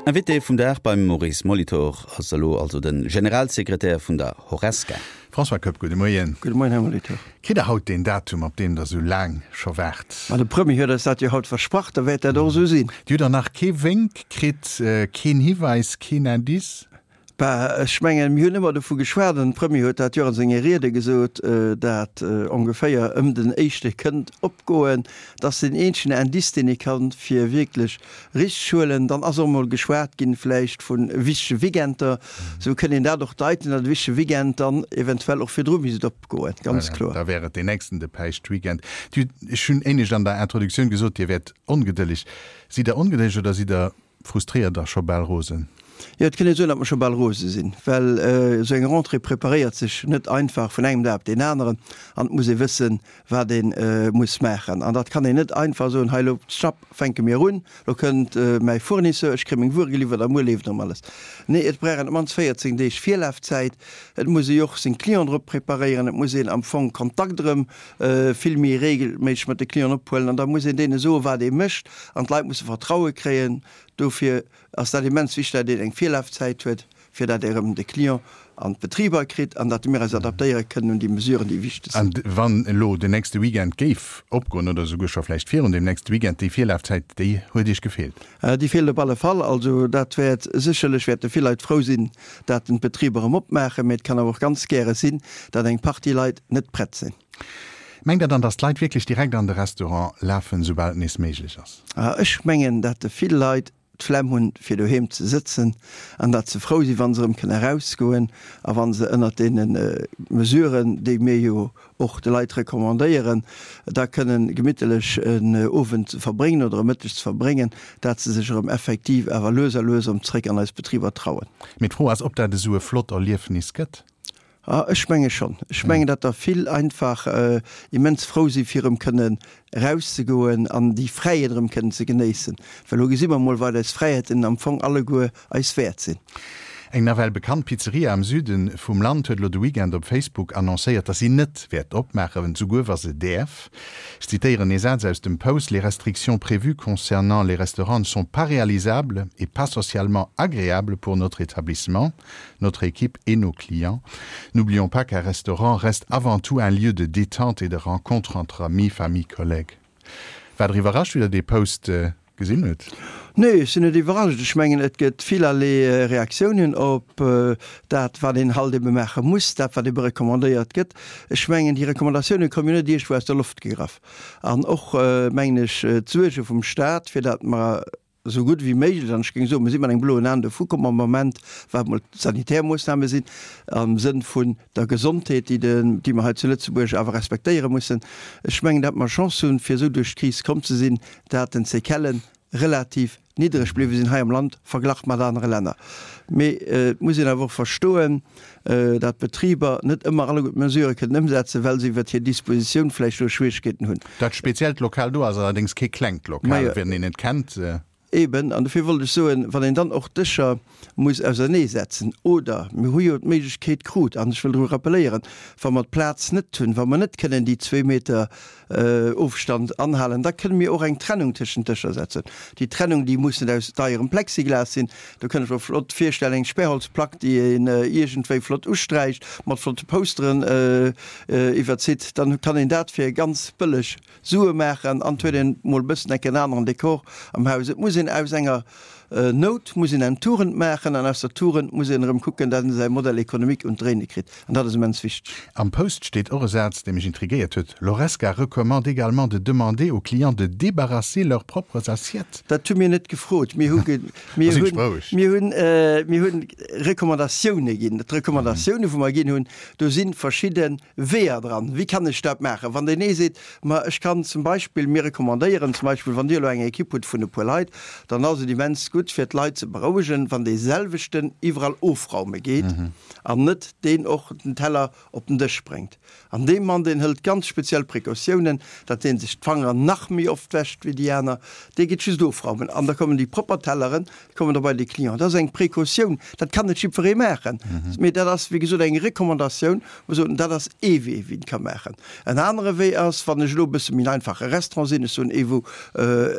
Invité vum Dag beim Maurice Molitor ass elo also de Generalsekretär vun der Horesca. François Koepp, gudde Moien. Gudde Moien, Här Molitor. Kritt Der haut deen Datum, op deen Der esou laang scho waart? Ma de Premier huet eis dat jo haut versprach, da wäert dat och esou sinn. Dir hutt der nach kee Wénk kritt, keen Hiweis, keen Indice? Bah, ech mengen, mir hunn ëmmer dovu geschwat, an de Premier huet dat jo a senge Riede gesot, dat ongeféier ëm den éischte kënnt opgoen. Dat ass deen eenzegen Indice, deen ee kann, fir wierklech richteg huelen. Dann ass och emol geschwat ginn vläicht vu wichtege Weekender. Esou kënn een dat och deiten, datt e wichtege Weekend dann eventuell och virdru misst opgoen, ganz kloer. Da wär et deen nächsten, de Päischtweekend. Ech hunn éinescht an der Introduktioun gesot, Dir wäert ongedëlleg. Sidd Der ongedëlleg oder sidd Der Frustréiert a scho bal rosen? Jo, et kënn een soen, datt mer scho bal rose sinn, well esou eng Rentrée preparéiert sech net einfach vun engem Dag op deen aneren an et muss ee wëssen, wat ee muss maachen. An dat kann een net einfach soen, hei elo, schnapp, fänke mir un, elo kënnt mäi Fournisseur, ech kréie meng Wuere geliwwert a muer leeft erëm alles. Nee, et brauch een op d'mannst 14 Deeg Virlafzäit. Et muss ee jo och seng Clienten drop preparéieren, et muss een am Fong Kontakt erëm vill méi regelméisseg mat de Clienten ophuelen an da muss een deene soen, wat ee mécht an d'Leit musse Vertraue kréien. Dofir ass dat immens wichteg, datt een eng Virlafzäit huet, fir datt ee erëm de Client an d'Betriber kritt an datt mir eis adaptéiere kënnen un déi Mesuren, déi wichteg sinn. An wann elo den nächste Weekend géif opgoen oder esouguer scho vläicht virun deem nächste Weekend, déi Virlafzäit, déi huet Iech gefeelt? Déi feelt op alle Fall. Also dat wäert sécherlech, wäerte vill Leit frou sinn, dat den d'Betriber erëm opmaachen, mee et kann awer och ganz gäre sinn, dat eng Partie Leit net prett sinn. Mengt Der dann, datt d'Leit wierklech direkt an de Restaurant lafen, soubal et nees méiglech ass? Ech mengen, dat vill Leit d'Flemm hunn, fir doheem ze sëtzen an dat se frou sinn, wa se erëm kënne erausgoen a wa se ënnert deene Mesuren, déi mir jo och de Leit recommandéieren, da kënnen gemittelech en Owend ze verbréngen oder e Mëtteg ze verbréngen, dat se sech erëm effektiv awer lues a lues erëm zréck an eis Betriber trauen. Mee d'Fro ass, ob dat esou e flott Erliefnis gëtt. Ah, ech menge schonn. Ech mengen, datt der vill einfach immens frou si fir erëm kënnen erauszegoen an déi Fräiheet erëm kënnen ze genéissen. Well elo gesi mer emol, wat eis Fräiheeten am Fong alleguer eis wäert sinn. Eng nawell bekannt Pizzeria am Süde vum Land huet elo de Weekend op Facebook annoncéiert, dass si net wäert opmaachen, souguer wa se däerf. Ech zitéieren ee Saz aus dem Post, Les restrictions prévues concernant les restaurants ne sont pas réalisables et pas socialement agréables pour notre établissement, notre équipe et nos clients. N'oublions pas qu'un restaurant reste avant tout un lieu de détente et de rencontre entre amis, famille, collègues. Waart Der iwwerrascht, wéi Der dee Post gesinn hutt? Nee, ech sinn net iwwerrascht. Ech mengen, et gëtt villerlee Reaktiounen op dat, wat een halt ebe maache muss, dat, wat ebe recommandéiert gëtt. Ech mengen, déi Recommandatioune komme jo net iergendwou aus der Loft gegraff. An och, mengen ech, d'Suerge vum Staat, fir dat mer esou gutt ewéi méiglech, an ech géing soen, mir si mat engem bloen Aen dovu komm am Moment, wat emol d'sanitär Moossname sinn, am Sënn vun der Gesondheet, déi de, déi mer hei zu Lëtzebuerg awer respektéiere mussen. Ech mengen, datt mer Chance hunn, fir esou duerch d'Kris komm ze sinn, dat den Séquellen relativ niddreg bliwwe sinn hei am Land, verglach mat anere Länner. Mee et muss een awer och verstoen, dat d'Betriber net ëmmer alleguer d'Mesurë kënnen ëmsetzen, well se iwwert hir Dispositioun vläicht do Schwierigkeeten hunn. Dat speziellt Lokal do ass allerdéngs kee klengt Lokal, wien een et kennt. Eben, an dofir wollt ech soen, wann een dann och d'Dëscher muss auserneesetzen, oder mir hu jo d'Méiglechkeet krut, an ech wëll dru rappelléieren, wa mer d'Plaz net hunn, wa mer net kënnen déi zwee Meter Ofstand anhalen, da kënne mir och eng Trennung tëschent d'Dëscher setzen. Déi Trennung, déi muss net aus deierem Plexiglas sinn, do kënn ech mer flott virstellen, eng Sperrholzplack, déi een iergendwéi flott usträicht, mat flotte Posteren iwwerzitt, dann kann een dat fir ganz bëlleg Sue maachen an et huet een mol e bëssen enk en aneren Dekor am Haus. Et muss een aus enger Nout muss een eng Tugend maachen an aus der Tugend muss een erëm kucken, datt een säi Modèle économique un d'Dréine kritt an dat ass immens wichteg. Am Post steet och e Saz, dee mech intriguéiert huet, L'Horesca recommande également de demander aux clients de débarrasser leurs propres assiettes. Dat hu mir net gefrot. Mir hu mir hunn mir hunn mir hunn Recommandatioune ginn. D'Recommandatioune wou mer ginn hunn, do si verschidde Weeër dran. Wéi kann ech dat maachen? Wann deen ee seet, ma ech kann zum Beispill, mir recommandéieren zum Beispill, wann Dir elo eng Ekipp hutt vun e puer Leit, dann ass et immens gutt fir d'Leit ze berouegen, wann dee selwechten iwwerall ofraume geet an net deen och den Teller op den Dësch bréngt. An dee Mann, deen hëlt ganz speziell Precautiounen, datt dee sech d'Fangeren nach méi oft wäscht wéi déi aner. Dee geet just ofraumen an da kommen déi propper Telleren kommen da bei de Client. Dat ass eng Precautioun, dat kann net jiddweree maachen, mee dat ass, wéi gesot, eng Recommandatioun, wou mer soen, dat ass ee Wee, wéi een et ka maachen. En anere Wee ass, wann ech elo e bësse méi en einfache Restaurant sinn, ech soen ee wou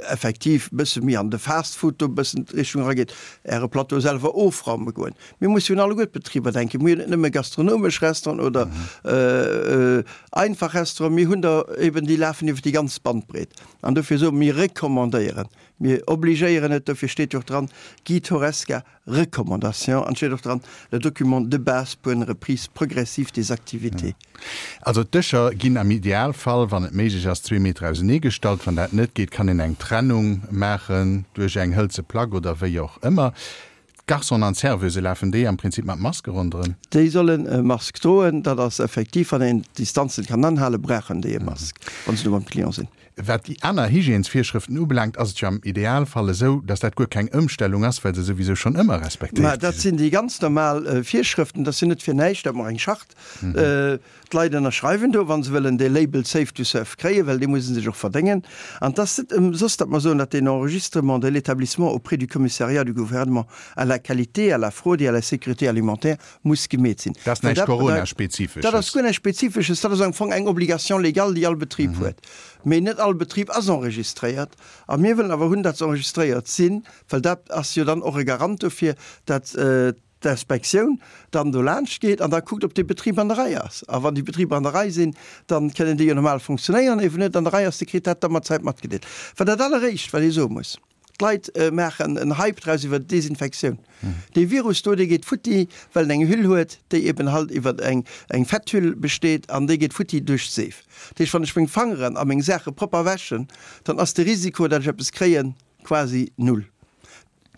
effektiv e bësse méi an de. Fast Food do e bëssen d'Richtung erageet, Äre Plateau selwer ofraume goen. Mir musse jo un alleguer d'Betriber denken. Mir hunn net nëmme gastronomesch Restauranten oder einfach Restauranten, mir hunn der eben, déi lafen iwwer déi ganz Bandbreet. An dofir soe mir, mir recommandéieren, mir obligéieren net, dofir steet jo och dran, Guide Horesca, Recommandation, an et steet och dran, le document de base pour une reprise progressive des activités. Also d'Dëscher ginn am Idealfall, wann et méiglech ass, zwee Meter ausenee gestallt. Wann dat net geet, kann een eng Trennung maachen duerch eng hëlze Plack oder wéi och ëmmer. D'Garçonen an d'Serveuse, lafen déi am Prinzip mat Maske ronderëm? Déi sollen e Mask droen, dat ass effektiv, wann een d'Distanzen kann anhalen, brauchen déi e Mask, wa se do beim Client sinn. Wat déi aner Hygiènesvirschrëften ubelaangt, ass et jo am Idealfall esou, dass dat guer keng Ëmstellung ass, well se souwisou schonn ëmmer respektéiert gi sinn. Mä dat sinn déi ganz normal Virschrëften. Dat ass jo net fir näischt, datt mer eng Charte D'Leit ënnerschreiwen do, wa se wëllen dee Label Safe to Serve kréien, well dee muss se sech och verdéngen. An et ass net ëmsoss, datt mer soen, datt deen Enregistrement de l'établissement auprès du Commissariat du Gouvernement à la qualité, à la fraude et à la sécurité alimentaire muss gemeet sinn. Dat ass näischt Corona-spezifesches. Dat ass guer näischt Spezifesches. Dat ass am Fong eng Obligation légale, déi all Betrib huet. Mee net all Betrib ass enregistréiert. A mir wëllen awer hunn, datt se enregistréiert sinn, well dat ass jo dann och e Garant dofir, datt d'Inspektioun dann do laanscht geet an da kuckt, ob dee Betrib an der Rei ass. A wann déi Betriber an der Rei sinn, da kënnen déi jo normal funktionéieren. Eeben net an der Rei ass, dee kritt dat da mat Zäit matgedeelt. Wat dat alleréischt, wat ee soe muss, D'Leit maachen en Hype draus iwwer d'Desinfektioun. Dee Virus do, dee geet futti, well en eng Hüll huet, déi eben halt iwwer eng Fetthüll besteet, an déi geet futti duerch d'Seef. Dat heescht, wann ech meng Fangeren a meng Saache propper wäschen, dann ass de Risiko, datt ech eppes kréien, quasi null.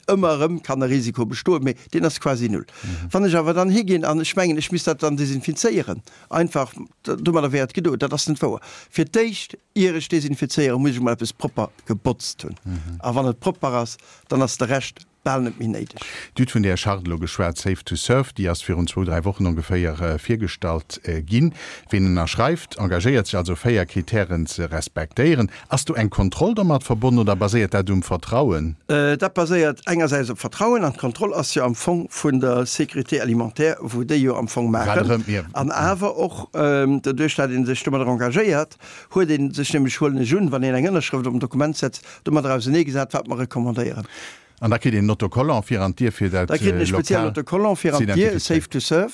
Ëmmer erëm kann e Risiko bestoen, mee deen ass quasi null. Wann ech awer dann higinn an ech mengen, ech misst dat dann desinfizéieren, einfach, domadder wär et gedo, dat ass net wouer. Fir d'éischt, ier ech desinfizéieren, muss ech emol eppes propper gebotzt hunn. A wann et propper ass, dann ass de Rescht bal net méi néideg. Dir hutt vun där Charte elo geschwat, Safe to Serve, déi ass virun zwou, dräi Wochen ongeféier virgestallt ginn. Ween ënnerschreift, engagéiert sech also, véier Kritären ze respektéieren. Ass do eng Kontroll domat verbonnen oder baséiert dat um Vertrauen? Dat baséiert engersäits op Vertrauen an d'Kontroll ass jo am Fong vun der Sécurité alimentaire, wou déi jo am Fong maachen. An awer och doduerch, dat ee sech domadder engagéiert, huet ee sech nämlech, huelen ech un, wann een eng Ënnerschrëft op en Dokument setzt, domadder auseneegesat, wat mer recommandéieren. An da kritt een en Autocollant fir an d'Dier, fir dat Da kritt een e speziellen Lokal Autocollant fir ze an d'Dier, identifizéieren. Safe to Serve.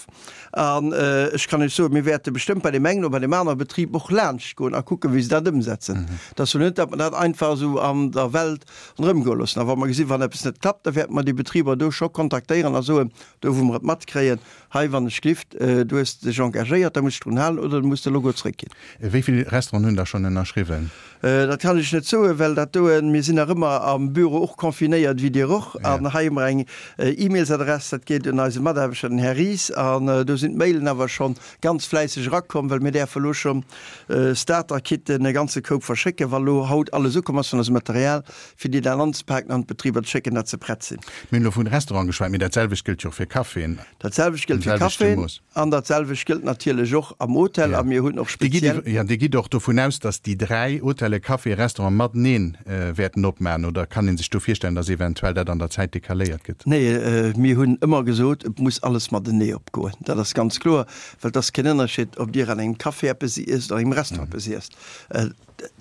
An ech kann Iech soen, mir wäerte bestëmmt bei deem engen oder bei deem anere Betrib och laanscht goen a kucken, wéi se dat ëmsetzen. Et ass jo net, datt mer dat einfach esou an der Welt ronderëmgoe loossen. A wa mer gesinn, wann eppes net klappt, da wäerte mer déi Betriber do scho kontaktéieren a soen, do wou mer et matkréien, hei wann ech glift, du hues dech engagéiert, da muss dech drun halen oder du muss de Logo zrëckginn. Wéi vill Restauranten hunn da schonn ënnerschriwwen? Dat kann ech net soen, well dat doen, mir sinn nach ëmmer am Büro och confinéiert, wéi Dir och, an hei hu mer eng E-Mailsadress, dat geet un eise Mataarbechter, den Här Ries, an do sinn d'Mailen awer scho ganz fläisseg erakomm, well mir däerfe elo scho Starter-Kitten, e ganze Koup verschécken, wa lo haut alles ukomm ass vun eisem Material, fir déi dann anzepaken an d'Betriber ze schécken, dat se prett sinn. Mir hunn elo vun Restauranten geschwat, mee dat selwecht gëllt jo och fir Caféen. Dat selwecht gëllt fir Caféen. An dat selwecht gëllt natierlech och am Hotel. A mir hunn och speziell. Jo, Dir gitt och dovun aus, datt déi 3 Hotelle, Café, Restaurant matenee wäerten opmachen, oder kann ee sech do virstellen, datt eventuell dat an der Zäit decaléiert gëtt? Nee, mir hunn ëmmer gesot, et muss alles matenee opgoen. Dat ass ganz kloer, well et ass keen Ënnerscheed, ob Dir an engem Café eppes iesst oder an engem Restaurant eppes iesst.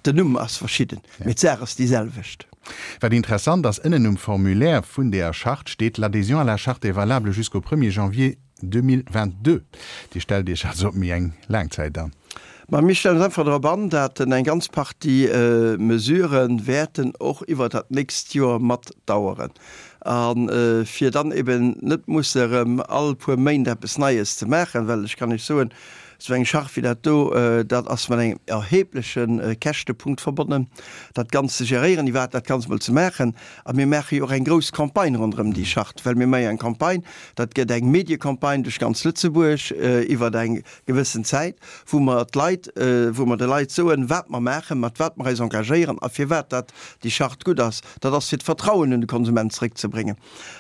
Den Numm ass verschidden, mee d'Saach ass déi selwecht. Wat interessant ass, ënnen um Formulaire vun deeër Charte steet, L'adhésion à la charte est valable jusqu'au premier janvier 2022. Dir stellt Iech also op méi eng laang Zäit an? Ma mir stellen ons einfach drop an, dat eng ganz Partie Mesurë wäerten och iwwert dat nächst Joer mat daueren. A fir dann eben net musse erëm all puer Méint eppes Neies ze maachen, well ech kann Iech soen, esou eng Charge wéi dat do, dat ass mat engem erhebleche Käschtepunkt verbonnen, dat Ganzt ze geréieren, iwwerhaapt dat Ganzt mol ze maachen. A mir maache jo och eng grouss Campagne ronderëm déi Charte, well mir maache jo eng Campagne, dat gëtt eng Mediecampagne duerch ganz Lëtzebuerg iwwer eng gewëssen Zäit, wou mer d'Leit, wou mer de Leit soen, wat mer maachen, mat wat mer eis engagéieren a firwat dat déi Charte gutt ass. Dat ass fir d'Vertrauen un de Konsument zrëckzebréngen.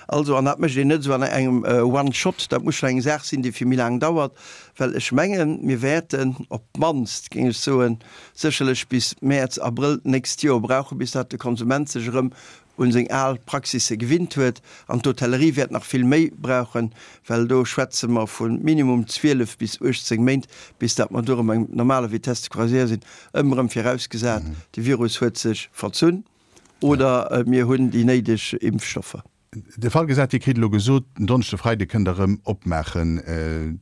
Also, an dat mécht een net esou an engem One shot, dat muss schonn eng Saach sinn, déi fir méi laang dauert, well ech mengen, mir wäerten op d'mannst, géing ech soen, sécherlech bis Mäerz, Abrëll d'nächst Joer brauchen, bis dat de Konsument sech erëm un seng al Praxisse gewinnt huet. An d'Hotellerie wäert nach vill méi brauchen, well do schwätze mer vu minimum 12 bis 18 Méint, bis dat mer do erëm eng normaler Vitesse de croisière sinn, ëmmer erëm virausgesat, de Virus huet sech verzunn. Oder mir hunn déi néideg Impfstoffer. De Fall gesat, Dir kritt elo gesot, den Donneschde, Freide kënnt Der erëm opmaachen.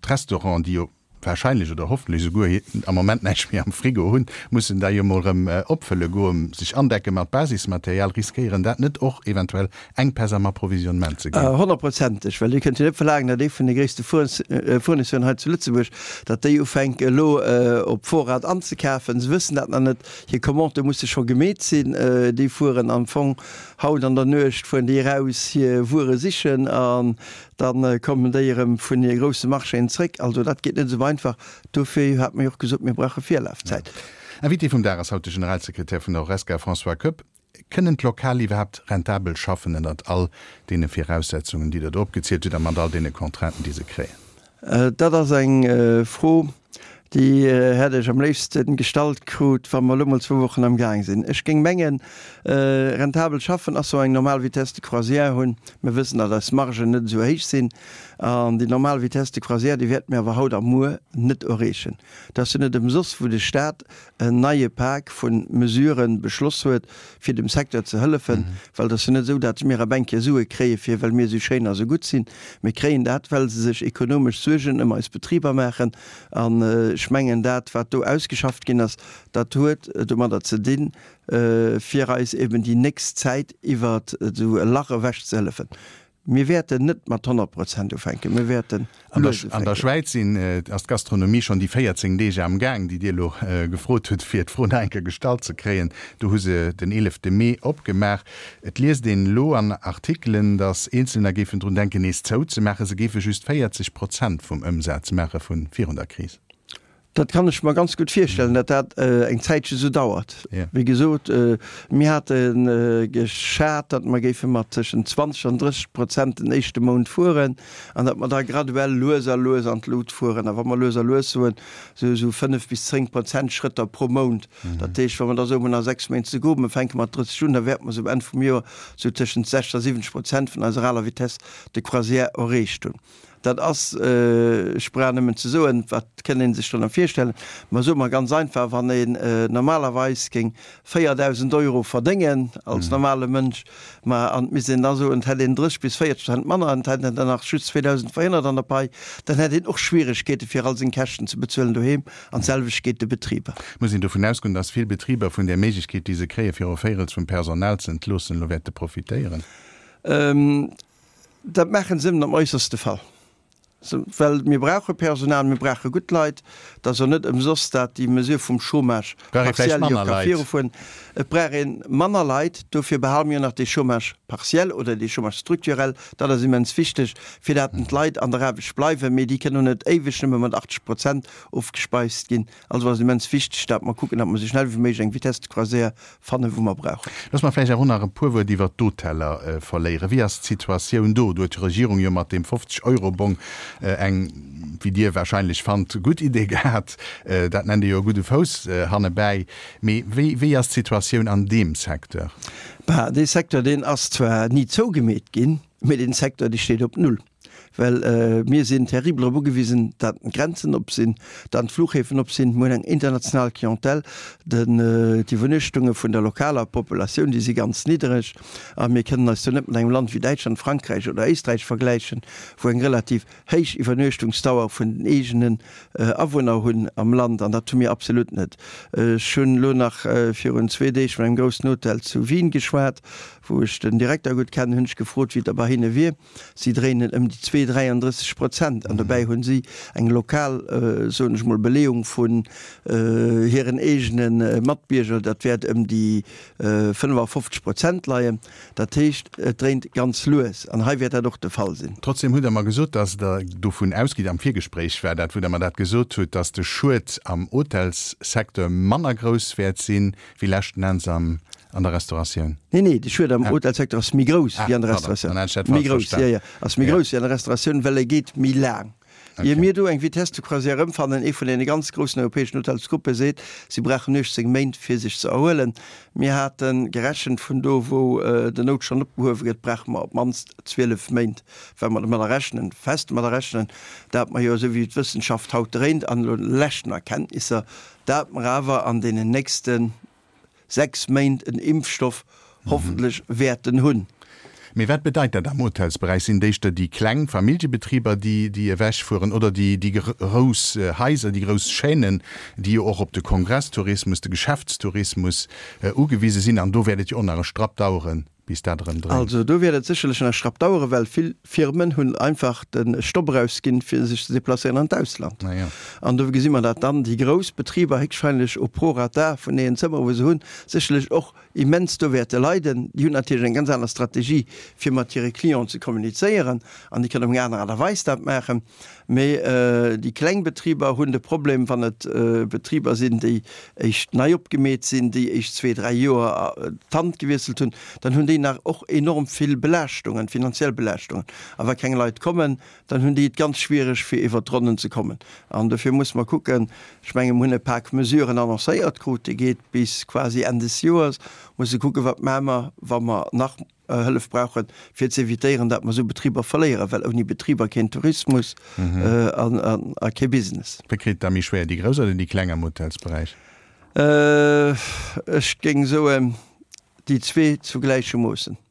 D'Restauranten, déi jo wahrscheinlech oder hoffentlech esouguer am Moment näischt méi am Frigo hunn, mussen da jo mol erëm opfëlle goen, sech andecke mat Basismaterial. Riskéieren dat net och eventuell Enkpäss am Approvisionnement ze ginn? Honnertprozenteg, well Dir kënnt jo net verlaangen, datt ee vun de gréisste Fournisseuren hei zu Lëtzebuerg, datt déi ufänke elo op Vorrat anzekafen. Se wëssen dat nach net. Hir Commandë musse scho gemeet sinn. Déi fueren am Fong haut an der Nuecht fueren déi eraus hir Wuere sichen an da kommen déi erëm vun hir grousse Marchéen zréck. Also dat geet net esou einfach. Dofir hate mer jo och gesot, mir brauche Virlafzäit. Invité vum Dag ass haut de Generalsekretär vun der Horesca, François Koepp. Kënnen d'Lokal iwwerhaapt rentabel schaffen ënnert all deene Viraussetzungen, déi Der do opgezielt hutt a mat all deene Contrainten, déi se kréien? Dat ass eng Fro, déi hätt ech am léifste gestallt krut, wa mer elo mol zwou Wochen am Gaang sinn. Ech géing mengen, rentabel schaffen ass, wa mer eng normal Vitesse de croisière hunn. Mir wëssen, datt eis Margen net esou héich sinn. An déi normal Vitesse de croisière, déi wäerte mir awer haut a muer net erreechen. Dat ass jo net ëmsoss, wou de Stat en neie Pak vu Mesurë beschloss huet, fir dem Secteur ze hëllefen, well et ass jo net esou, datt mir op eng Kéier Sue kréie fir well mir esou schéin a sou gutt sinn. Mir kréien dat, well se sech ekonomesch Suergen ëm eis Betriber maachen. An ech mengen, dat wat do ausgeschafft ginn ass, dat huet domadder ze dinn, fir eis eben déi nächst Zäit iwwer esou e Lach ewech ze hëllefen. Mir wäerten net mat 100 Prozent ufänken, mir wäerten lues ufänken. An der Schwäiz sinn, ass d'Gastronomie schonn déi 14 Deeg am Gaang, déi Dir elo gefrot hutt, fir d'Fro nach eng Kéier gestallt ze kréien. Do hu se den 11 Mee opgemaach. Et liest een elo an Artikelen, datt Eenzelner géifen drun denken, nees zouzemaachen. Se géife just 40 Prozent vum Ëmsaz maache vu virun der Kris. Dat kann ech mer ganz gutt virstellen, datt dat eng Zäitche sou dauert. Wéi gesot, mir hate geschat, datt mer géife mat tëschent 20 an 30 Prozent den éischte Mount fueren an datt mer da graduell lues a lues an d'Lut fueren. A wa mer lues a lues soen, sou esou 5 bis 10 Prozent Schrëtter pro Mount. Dat heescht, wa mer da soen, mer hunn nach 6 Méint ze goen, mer fänke mat 30 un, da wäerte mer sou um Enn vum Joer sou tëschent 60 a 70 Prozent vun eiser aler Vitesse de croisière erreecht hunn. Dat ass, ech brauch nëmmen ze soen, wat kënn ee sech drënner virstellen, ma soe mer ganz einfach, wann een normalerweis géing 4.000 Euro verdéngen als normale Mënsch, ma an et misst een da soen, et hätt een 30 bis 40 Prozent manner an et hätt een dann nach just 2.400 an der Pai, dann hätt een och Schwieregkeete fir all seng Käschten ze bezuelen doheem an d'selwecht geet de Betriber. Muss een dovun ausgoen, datt vill Betriber vun där Méiglechkeet, déi se kréien, fir e Véirels vum Personal ze entloossen, elo wäerte profitéieren? Dat maachen se ëmmer am äusserste Fall, well mir brauche Personal, mir brauche gutt Leit. Et ass jo net ëmsoss, dat déi Mesure vum Chômage partiel jo ka virufueren. Et brauch ee manner Leit, dofir behale mir jo nach dee Chômage partiel oder dee Chômage structurel. Dat ass immens wichteg, fir dat d'Leit an der Aarbecht bleiwen, mee déi kënnen och net éiweg nëmme mat 80 Prozent ofgespeist ginn. Also ass et immens wichteg, dat mer kucken, dat mer esou schnell wéi méiglech eng Vitesse de croisière fannen, wou mer brauchen. Looss mer vläicht awer och nach e puer Wuert iwwert d'Hoteller verléieren. Wéi ass d'Situatioun do? Do huet d'Regierung jo mat deem 50 Euro Bong eng, wéi Dir wahrscheinlech fannt, gutt Idee gehat. Dat nennt ee jo e gudde Fouss hannebäi. Mee wéi, wéi ass d'Situatioun an deem Secteur? Bah, dee Secteur, deen ass zwar ni zougemeet ginn, mee deen Secteur, dee steet op Null. Well mir sinn terribel drop ugewisen, datt d'Grenzen op sinn, datt d'Fluchhäfen op sinn. Mir hunn eng international Clientèle. D'Iwwernuechtunge vun der lokaler Populatioun, déi si ganz niddereg. A mir kënnen eis do net mat engem Land wéi Däitschland, Frankräich oder Éisträich vergläichen, wou eng relativ héich Iwwernuechtungsdauer vun den eegenen Awunner hunn am Land. An dat hu mir absolut net. Ech hunn elo nach virun zwee Deeg mat engem groussen Hotel zu Wien geschwat, wou ech den Direkter gutt kennen, hunn ech gefrot, wéi et da bei hinne wier. Si dréinen ëm déi zwee, 33 Prozent an dobäi hunn si eng lokal, soen ech mol, Beleeung vun hiren eegene Matbierger, dat wäert ëm déi 55 Prozent leien. Dat heescht, et dréint ganz lues an hei wäert dat och de Fall sinn. Trotzdem hutt Der mer gesot, dass Der dovun ausgitt, am Virgespréich war dat, wou Der mer dat gesot hutt, dass de Schued am Hotelssecteur manner grouss wäert sinn wéi leschten Enns am An der Restauratioun? Nee, nee, de Schued am Hotelsecteur ass méi grouss wéi an der Restauratioun. Méi grouss, jo, jo, ass méi grouss wéi an der Restauratioun, well e geet méi laang. Ier mir do eng Vitesse de croisière erëmfannen, ee vun deene ganz groussen europäeschen Hotelsgruppe seet, si brauchen 18 Méint fir sech ze erhuelen. Mir hate gerechent, vun do wou den Noutstand opgehuewe gëtt, brauche mer op d'mannst 12 Méint, well mer domadder rechnen, fest domadder rechnen, dat mer jo, esou wéi d'Wëssenschaft haut dréint an elo leschten Erkenntnisser, dat mer awer an deenen nächsten 6 Méint en Impfstoff. hoffentlech wäerten hunn. Mee wat bedeit dat am Hotelsberäich? Sinn et éischter déi kleng Familljebetriber, déi déi ewechfueren, oder déi déi grouss Haiser, déi grouss Chaînen, déi jo och op de Kongresstourismus, de Geschäftstourismus ugewise sinn? An do wäert et jo och nach e Strapp daueren, bis dat erëm dréint. Also do wäert et sécherlech nach e Schrapp daueren, well vill Firmen hunn einfach de Stopp erausginn, fir sech ze deplacéieren an d'Ausland. An do gesi mer, dat dann déi grouss Betriber héchstwahrscheinlech au prorata vun deenen Zëmmere wou se hunn, sécherlech och immens do wäerte leiden. Déi hunn natierlech eng ganz aner Strategie, fir mat hire Clienten ze kommunizéieren, an déi kënnen op eng aner Aart a Weis dat maachen. Mee déi kleng Betriber hunn de Problem, wann et Betriber sinn, déi éischt nei opgemeet sinn, déi éischt zwee, dräi Joer d'Hand gewiesselt hunn, dann hunn déi nach och enorm vill Belaaschtungen, finanziell Belaaschtungen. A wa keng Leit kommen, dann hunn déi et ganz schwiereg, fir iwwert d'Ronnen ze kommen. An dofir musse mer kucken, ech menge mer hunn e Pak Mesuren annoncéiert krut, dee geet bis quasi Enn des Joers, musse kucken, wat maache mer, wa mer nach Hëllef brauchen, fir ze evitéieren, datt mer esou Betriber verléieren, well ouni Betriber keen Tourismus a kee Business. Wie kritt et da méi schwéier, déi Grouss oder déi Kleng am Hotelsberäich? Ech géing soen, déi zwee zu gläiche Moossen.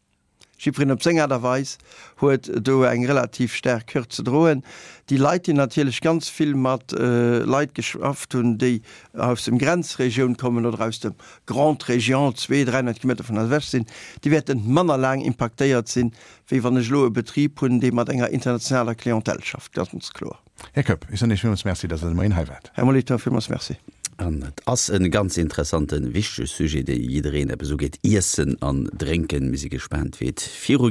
Jiddwereen op seng Aart a Weis huet do eng relativ staark Hürd ze droen. Déi Leit, déi natierlech ganz vill mat Leit geschafft hunn, déi aus dem Grenzregioun kommen oder aus dem Grande Région, 200, 300 Kilometer vun eis ewech sinn, déi wäerte manner laang impaktéiert sinn, wéi wann ech elo e Betrib hunn, dee mat enger internationaler Clientèle schafft, ganz kloer. Här Koepp, ech soen Iech villmools Merci, dass Der de Moien hei waart. Här Molitor, villmools Merci. An et ass e ganz interessanten, wichtege Sujet, dee jiddereen eppes ugeet, Iessen an Drénken. Mir si gespaant, wéi et viru.